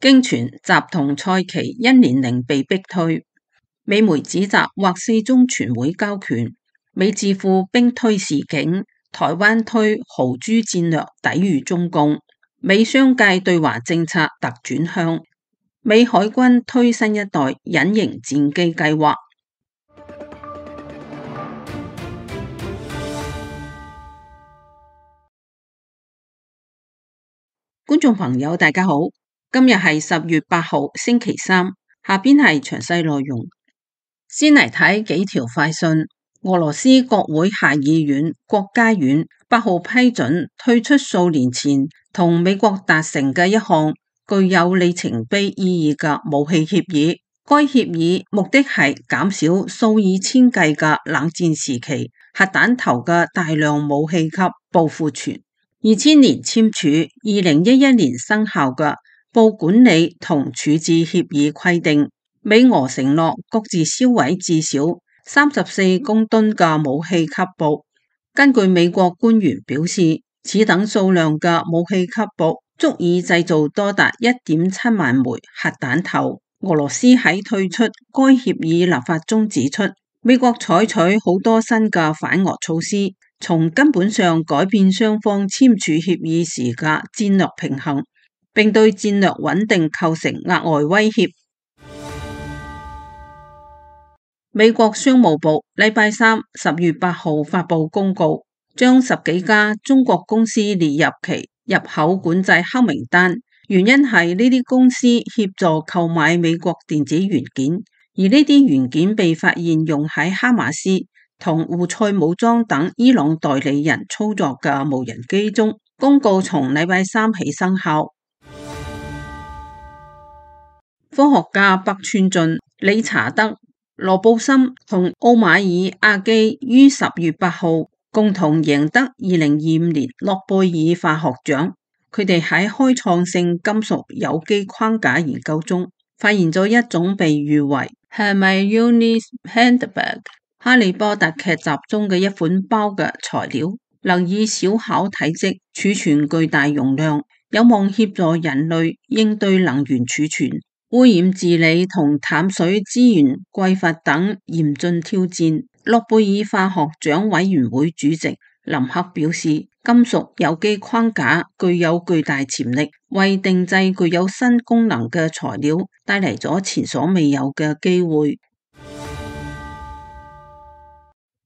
經傳習同蔡奇因年齡被逼退，美媒指責或四中全會交權，美智庫兵推示警，台灣推豪豬戰略抵禦中共，美商界對華政策突轉向，美海軍推新一代隱形戰機計劃。觀眾朋友大家好，今日係10月8號星期三，下邊係詳細內容。先嚟睇幾條快訊。俄羅斯國會下議院國家院8號批准退出數年前同美國達成嘅一項具有里程碑意義嘅武器協議。該協議目的係減少數以千計嘅冷戰時期核彈頭嘅大量武器級報庫存。2000年簽署，2011年生效嘅報管理同處置協議規定，美俄承諾各自銷毀至少34公噸嘅武器級報。根據美國官員表示，此等數量嘅武器級報足以製造多達1.7萬枚核彈頭。俄羅斯喺退出該協議立法中指出，美國採取好多新嘅反俄措施，從根本上改變雙方簽署協議時嘅戰略平衡，並對戰略穩定構成額外威脅。美國商務部禮拜三10月8號發布公告，將10幾家中國公司列入其入口管制黑名單，原因係呢啲公司協助購買美國電子元件，而呢啲元件被發現用喺哈馬斯同胡塞武裝等伊朗代理人操作嘅無人機中。公告從禮拜三起生效。科學家北川俊、理查德、羅布森同奧馬爾阿基於10月8號共同贏得2025年諾貝爾化學獎。佢哋喺開創性金屬有機框架研究中發現咗一種被譽為 Hermione's Handbag 哈利波特劇集中嘅一款包嘅材料，能以小巧體積儲存巨大容量，有望協助人類應對能源儲存、污染治理同淡水資源匱乏等嚴峻挑戰。諾貝爾化學獎委員會主席林克表示，金屬有機框架具有巨大潛力，為定製具有新功能嘅材料帶嚟咗前所未有嘅機會。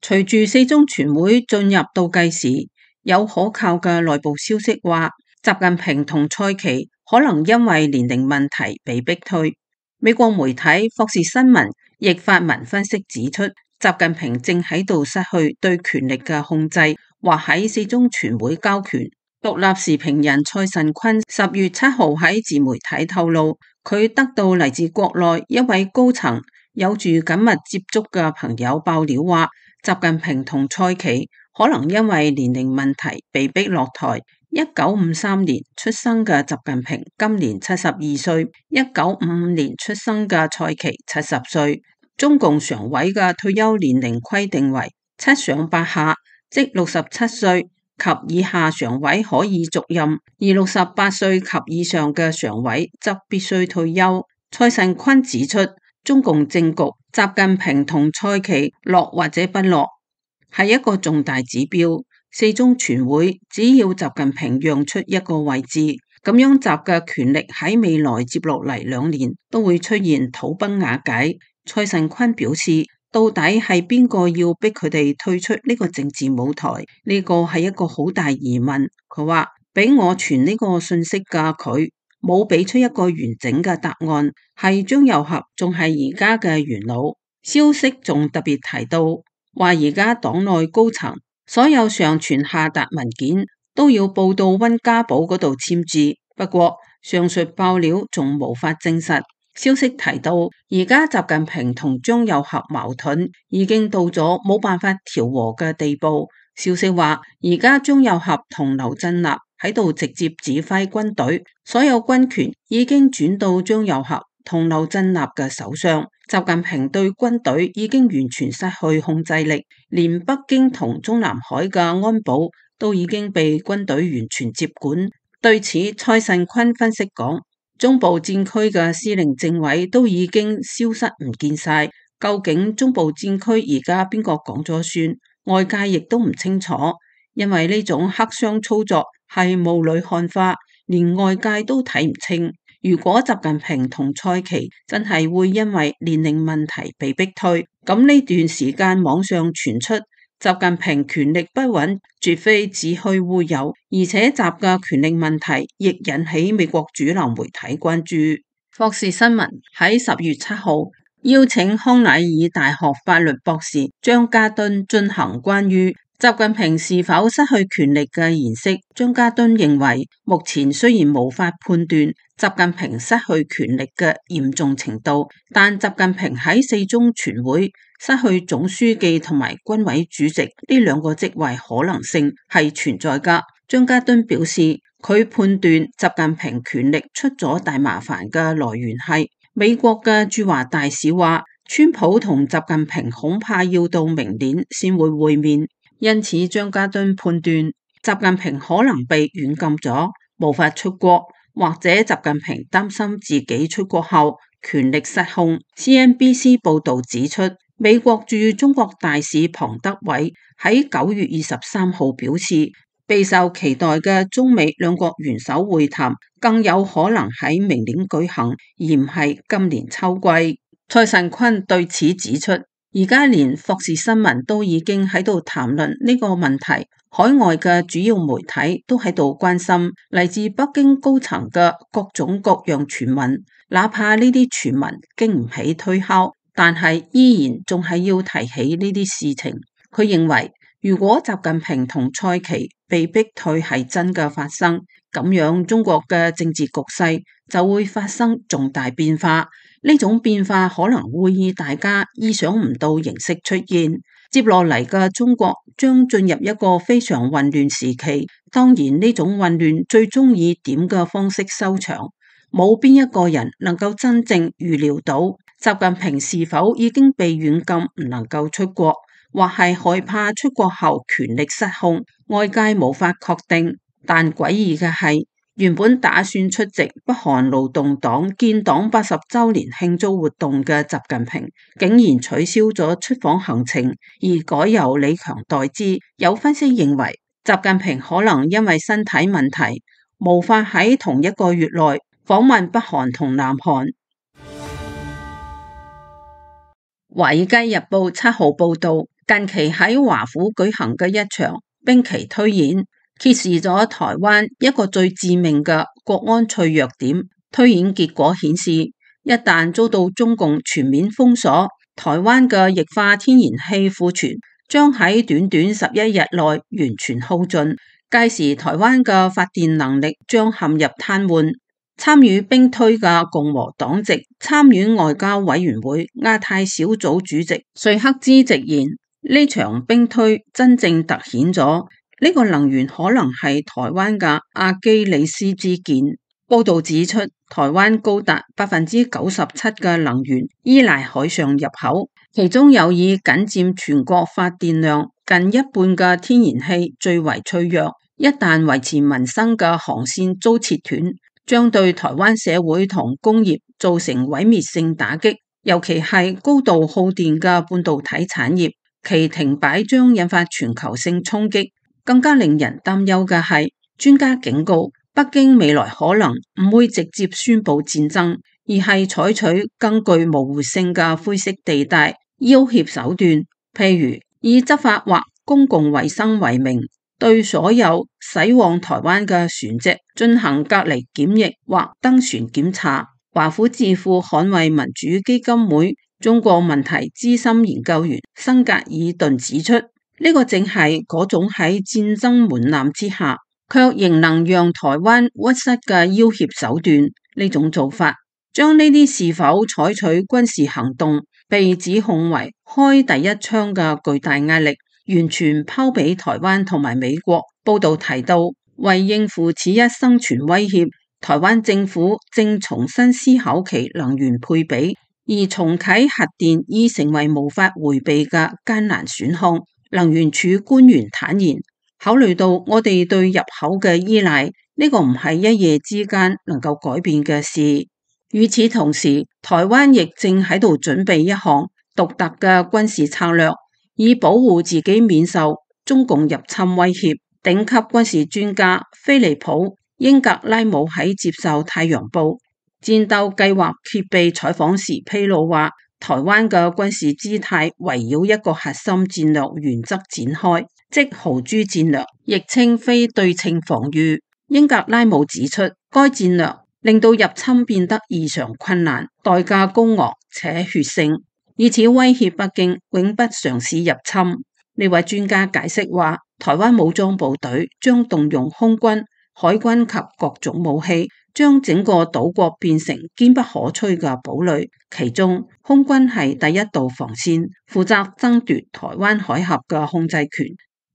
隨住四中全會進入倒計時，有可靠嘅內部消息話，習近平同蔡奇可能因為年齡問題被逼退。美國媒體霍士新聞亦發文分析指出，習近平正喺度失去對權力嘅控制，或喺四中全會交權。獨立時評人蔡慎坤10月7號喺自媒體透露，佢得到嚟自國內一位高層有住緊密接觸嘅朋友爆料話，習近平同蔡奇可能因為年齡問題被逼落台。1953年出生嘅習近平今年72歲，1955年出生嘅蔡奇70歲。中共常委嘅退休年齡規定為7上8下，即67歲及以下常委可以續任，而68歲及以上嘅常委則必須退休。蔡慎坤指出，中共政局，習近平同蔡奇落或者不落係一個重大指標。四中全會只要習近平讓出一個位置，咁樣習嘅權力喺未來接落嚟2年都會出現土崩瓦解。蔡慎坤表示，到底係邊個要逼佢哋退出呢個政治舞台？呢個係一個好大疑問。佢話俾我傳呢個信息嘅佢冇俾出一個完整嘅答案，係張又俠仲係而家嘅元老。消息仲特別提到話，而家黨內高層所有上傳下達文件都要報到溫家寶嗰度簽字。不過上述爆料仲無法證實。消息提到，而家習近平同張又俠矛盾已經到咗冇辦法調和嘅地步。消息話，而家張又俠同劉振立喺度直接指揮軍隊，所有軍權已經轉到張又俠同劉振立嘅手上。習近平對軍隊已經完全失去控制力，連北京同中南海嘅安保都已經被軍隊完全接管。對此，蔡慎坤分析講，中部戰區嘅司令政委都已經消失唔見晒，究竟中部戰區而家邊個講咗算？外界亦都唔清楚，因為呢種黑箱操作係霧裏看花，連外界都睇唔清。如果習近平同蔡奇真係會因為年齡問題被逼退，咁呢段時間網上傳出習近平權力不穩，絕非子虛烏有，而且習嘅權力問題亦引起美國主流媒體關注。霍士新聞喺10月7號邀請康乃爾大學法律博士張家敦進行關於習近平是否失去權力嘅研析。張家敦認為，目前雖然無法判斷習近平失去權力嘅嚴重程度，但習近平喺4中全會失去總書記同埋軍委主席呢兩個職位可能性係存在㗎。張家敦表示，佢判斷習近平權力出咗大麻煩嘅來源係美國嘅駐華大使話，川普同習近平恐怕要到明年先會會面，因此張家敦判斷習近平可能被軟禁咗，無法出國，或者習近平擔心自己出國後權力失控。CNBC 報導指出，美國駐中國大使龐德偉喺9月23號表示，備受期待嘅中美兩國元首會談更有可能喺明年舉行，而唔係今年秋季。蔡尚坤對此指出，而家連霍士新聞都已經喺度談論呢個問題，海外嘅主要媒體都喺度關心嚟自北京高層嘅各種各樣傳聞，哪怕呢啲傳聞經唔起推敲，但係依然仲係要提起呢啲事情。佢認為，如果習近平同蔡奇被逼退係真嘅發生，咁樣中國嘅政治局勢就會發生重大變化。呢種變化可能會以大家意想唔到形式出現。接落嚟嘅中國將進入一個非常混亂時期。當然呢種混亂最終以點嘅方式收場，冇邊一個人能夠真正預料到習近平是否已經被軟禁唔能夠出國，或係害怕出國後權力失控，外界無法確定。但詭異嘅係，原本打算出席北韓勞動黨建黨80週年慶祝活動嘅習近平，竟然取消咗出訪行程，而改由李強代之。有分析認為，習近平可能因為身體問題，無法喺同一個月內訪問北韓同南韓。華爾街日報7號報道，近期喺華府舉行嘅一場兵棋推演，揭示咗台灣一個最致命嘅國安脆弱點。推演結果顯示，一旦遭到中共全面封鎖，台灣嘅液化天然氣庫存將喺短短11日內完全耗盡，屆時台灣嘅發電能力將陷入癱瘓。參與兵推嘅共和黨籍參院外交委員會亞太小組主席瑞克茲直言，呢場兵推真正凸顯咗呢個能源可能係台灣嘅阿基里斯之劍。報道指出，台灣高達97%嘅能源依賴海上入口，其中有以僅佔全國發電量近一半嘅天然氣最為脆弱。一旦維持民生嘅航線遭切斷，將對台灣社會同工業造成毀滅性打擊，尤其係高度耗電嘅半導體產業，其停擺將引發全球性衝擊。更加令人擔憂嘅係，專家警告，北京未來可能唔會直接宣布戰爭，而係採取更具模糊性嘅灰色地帶要挾手段，譬如以執法或公共衛生為名，對所有駛往台灣嘅船隻進行隔離檢疫或登船檢查。華府智庫捍衛民主基金會中國問題資深研究員辛格爾頓指出，呢個正係嗰種喺戰爭門檻之下，卻仍能讓台灣屈膝嘅要挾手段。呢種做法，將呢啲是否採取軍事行動被指控為開第一槍嘅巨大壓力，完全拋俾台灣同埋美國。報道提到，為應付此一生存威脅，台灣政府正重新思考其能源配比，而重啟核電已成為無法迴避嘅艱難選項。能源署官員坦言，考慮到我哋對入口嘅依賴，呢個唔係一夜之間能夠改變嘅事。與此同時，台灣亦正喺度準備一項獨特嘅軍事策略，以保護自己免受中共入侵威脅。頂級軍事專家菲利普英格拉姆喺接受《太陽報》戰鬥計劃揭秘採訪時披露話，台灣嘅軍事姿態圍繞一個核心戰略原則展開，即豪豬戰略，亦稱非對稱防禦。英格拉姆指出，該戰略令到入侵變得異常困難，代價高昂且血腥，以此威脅北京永不嘗試入侵。呢位專家解釋話，台灣武裝部隊將動用空軍、海軍及各種武器，將整個島國變成堅不可摧嘅堡壘。其中，空軍係第一道防線，負責爭奪台灣海峽嘅控制權，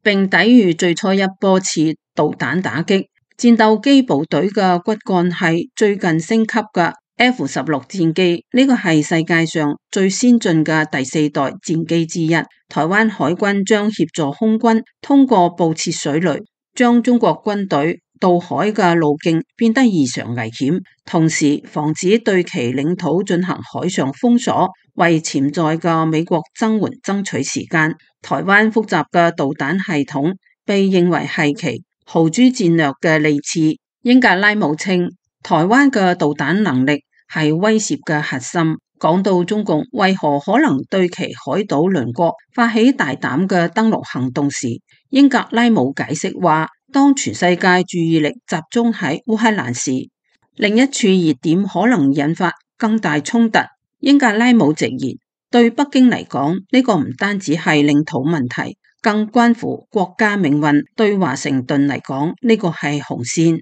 並抵禦最初一波次導彈打擊。戰鬥機部隊嘅骨幹係最近升級嘅 F-16戰機，呢個係世界上最先進嘅第4代戰機之一。台灣海軍將協助空軍通過布設水雷，將中國軍隊渡海嘅路徑變得異常危險，同時防止對其領土進行海上封鎖，為潛在嘅美國增援爭取時間。台灣複雜嘅導彈系統被認為係其豪豬戰略嘅利刺。英格拉姆稱，台灣嘅導彈能力係威懾嘅核心。講到中共為何可能對其海島鄰國發起大膽嘅登陸行動時，英格拉姆解釋話，當全世界注意力集中喺烏克蘭時，另一處熱點可能引發更大衝突。英格拉姆直言，對北京嚟講，呢個唔單止係領土問題，更關乎國家命運。對華盛頓嚟講，呢個係紅線。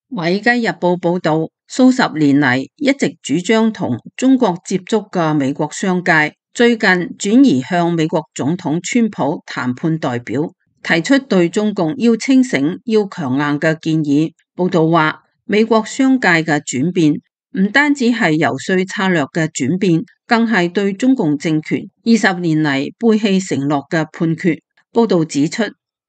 《華爾街日報》報道，數十年嚟一直主張同中國接觸嘅美國商界，最近轉移向美國總統川普談判代表，提出對中共要清醒、要強硬嘅建議。報道話，美國商界嘅轉變唔單止係游說策略嘅轉變，更係對中共政權20年嚟背棄承諾嘅判決。報道指出，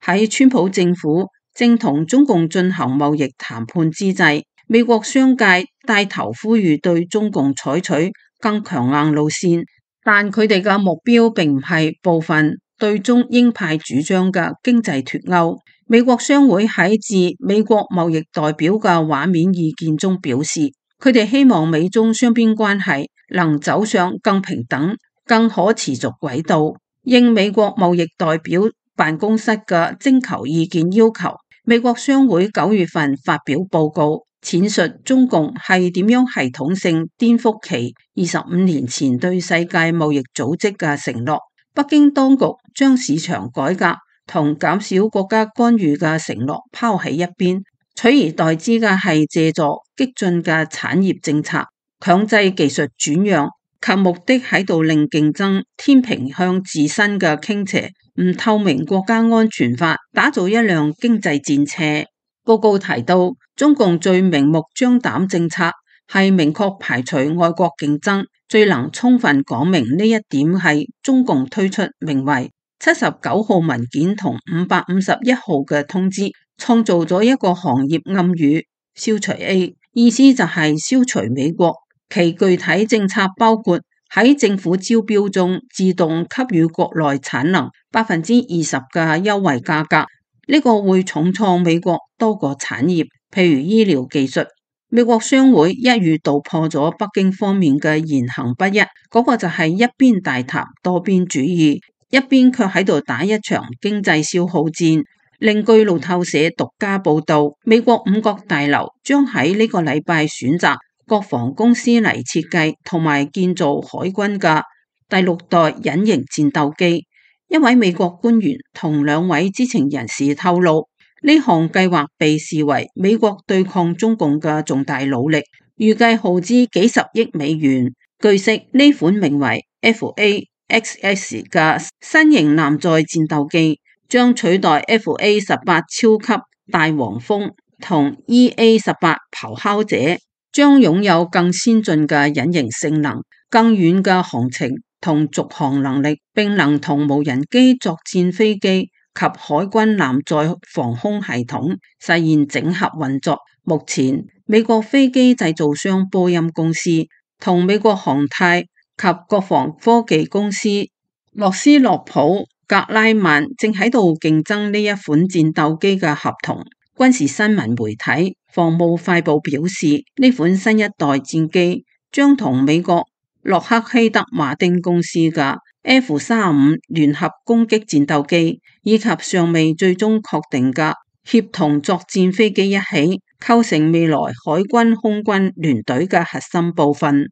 喺川普政府正同中共進行貿易談判之際，美國商界帶頭呼籲對中共採取更強硬路線，但佢哋嘅目標並唔係部分對中鷹派主張嘅經濟脫鈎。美國商會喺致美國貿易代表嘅畫面意見中表示，佢哋希望美中雙邊關係能走上更平等、更可持續軌道。應美國貿易代表辦公室嘅徵求意見要求，美國商會9月份發表報告，闡述中共係點樣系統性顛覆其25年前對世界貿易組織嘅承諾。北京當局將市場改革同減少國家干預嘅承諾拋喺一邊，取而代之嘅係借助激進嘅產業政策、強制技術轉讓及目的喺度令競爭天平向自身嘅傾斜。唔透明國家安全法打造一輛經濟戰車。報告提到，中共最明目張膽政策係明確排除外國競爭，最能充分講明呢一點係中共推出名為79號文件同551號嘅通知，創造咗一個行業暗語，消除 A， 意思就係消除美國。其具體政策包括喺政府招標中自動給予國內產能20%嘅優惠價格，呢個會重創美國多個產業，譬如醫療技術。美國商會一語道破咗北京方面嘅言行不一，嗰個就係一邊大談多邊主義，一邊卻喺度打一場經濟消耗戰。另據路透社獨家報道，美國5角大樓將喺呢個禮拜選擇國防公司嚟設計同埋建造海軍嘅第6代隱形戰鬥機。一位美國官員同2位知情人士透露，呢項計劃被視為美國對抗中共嘅重大努力，預計耗資幾十億美元。據悉，呢款名為 FA-XX 嘅新型艦載戰鬥機將取代 FA-18 超級大黃蜂同 EA-18 咆哮者，將擁有更先進嘅隱形性能、更遠嘅航程同續航能力，並能同無人機作戰飛機及海軍艦載防空系統實現整合運作。目前，美國飛機製造商波音公司同美國航太及國防科技公司洛斯諾普格拉曼正喺度競爭呢一款戰鬥機嘅合同。軍事新聞媒體防務快報表示，呢款新一代戰機將同美國洛克希德馬丁公司嘅 F-35聯合攻擊戰鬥機，以及尚未最終確定嘅協同作戰飛機一起，構成未來海軍空軍聯隊嘅核心部分。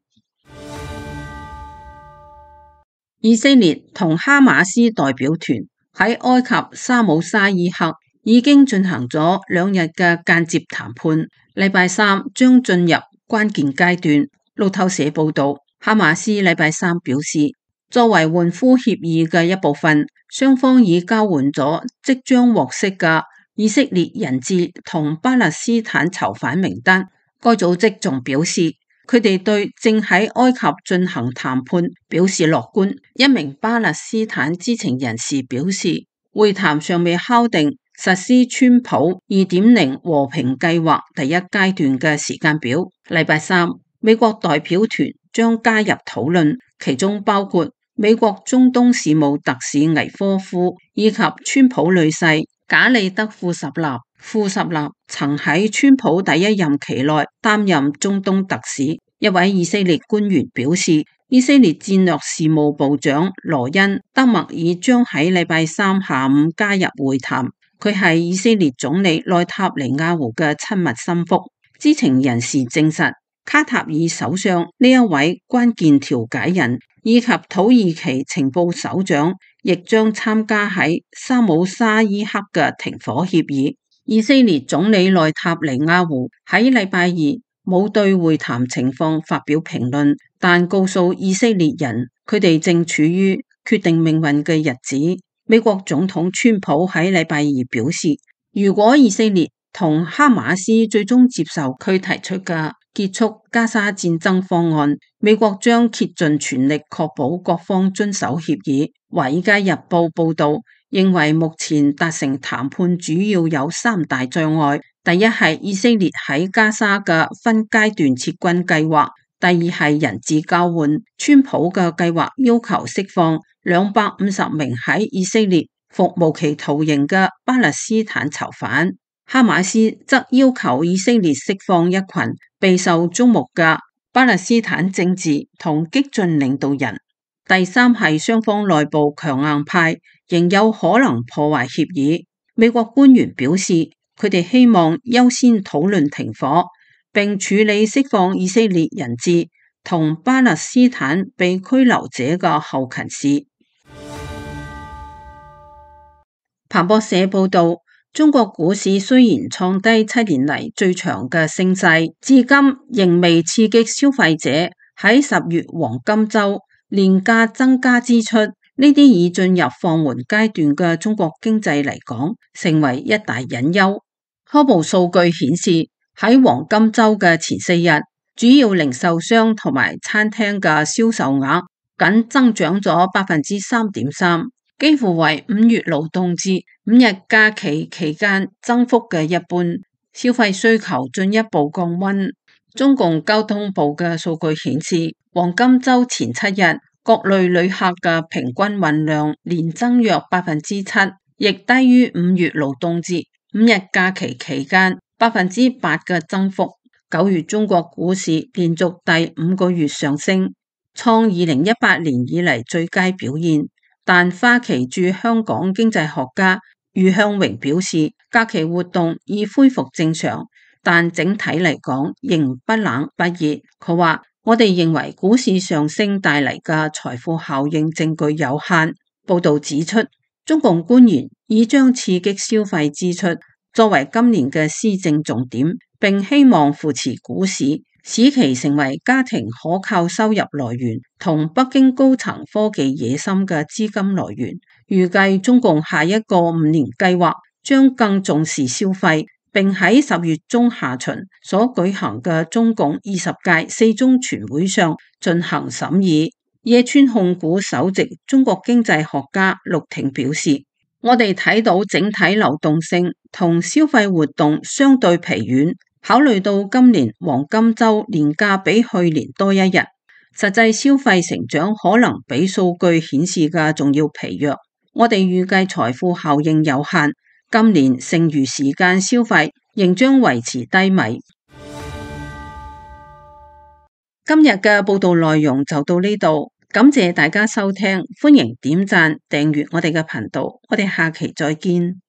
以色列同哈馬斯代表團喺埃及沙姆沙伊克已經進行咗2日嘅間接談判，禮拜三將進入關鍵階段。路透社報道，哈馬斯禮拜三表示，作為換俘協議嘅一部分，雙方已交換咗即將獲釋嘅以色列人質同巴勒斯坦囚犯名單。該組織仲表示，佢哋對正喺埃及進行談判表示樂觀。一名巴勒斯坦知情人士表示，會談尚未敲定實施川普 2.0 和平計劃第一階段嘅時間表。禮拜三，美國代表團將加入討論，其中包括美國中東事務特使倪科夫以及川普女婿賈里德庫什納。庫什納曾喺川普第一任期內擔任中東特使。一位以色列官員表示，以色列戰略事務部長羅恩·德默爾將喺禮拜三下午加入會談。佢係以色列總理內塔尼亞胡嘅親密心腹。知情人士證實，卡塔爾首相呢一位關鍵調解人以及土耳其情報首長亦將參加喺沙姆沙伊克嘅停火協議。以色列總理內塔尼亞胡喺禮拜二冇對會談情況發表評論，但告訴以色列人佢哋正處於決定命運嘅日子。美國總統川普喺禮拜二表示，如果以色列同哈馬斯最終接受佢提出嘅結束加沙戰爭方案，美國將竭盡全力確保各方遵守協議。華爾街日報報道，認為目前達成談判主要有3大障礙：第一係以色列喺加沙嘅分階段撤軍計劃；第二係人質交換。川普嘅計劃要求釋放250名喺以色列服無期徒刑嘅巴勒斯坦囚犯，哈馬斯則要求以色列釋放一群備受矚目嘅巴勒斯坦政治同激進領導人。第三係雙方內部強硬派仍有可能破壞協議。美國官員表示，佢哋希望優先討論停火，並處理釋放以色列人質同巴勒斯坦被拘留者嘅後勤事。彭博社報道，中國股市雖然創低7年嚟最長嘅升勢，至今仍未刺激消費者喺10月黃金週廉價增加支出。呢啲已進入放緩階段嘅中國經濟嚟講，成為一大隱憂。初步數據顯示，喺黃金週嘅前4日，主要零售商同埋餐廳嘅銷售額僅增長咗3.3%，幾乎為5月勞動節5日假期期間增幅嘅一半。消費需求進一步降溫。中共交通部嘅數據顯示，黃金週前7日，各類旅客嘅平均運量年增約7%，亦低於5月勞動節5日假期期間8%嘅增幅。9月中國股市連續第5個月上升，創2018年以嚟最佳表現。但花旗駐香港經濟學家余向榮表示，假期活動已恢復正常，但整體嚟講仍不冷不熱。佢話，我哋認為股市上升帶嚟嘅財富效應證據有限。報道指出，中共官員已將刺激消費支出作為今年嘅施政重點，並希望扶持股市，使其成為家庭可靠收入來源同北京高層科技野心嘅資金來源。預計中共下一個5年計劃將更重視消費，並喺10月中下旬所舉行嘅中共20屆4中全會上進行審議。野村控股首席中國經濟學家陸挺表示，我哋睇到整體流動性同消費活動相對疲軟，考慮到今年黃金週年假比去年多一日，實際消費成長可能比數據顯示嘅仲要疲弱。我哋預計財富效應有限，今年剩餘時間消費仍將維持低迷。今日嘅報道內容就到呢度，感謝大家收聽，歡迎點讚訂閱我哋嘅頻道，我哋下期再見。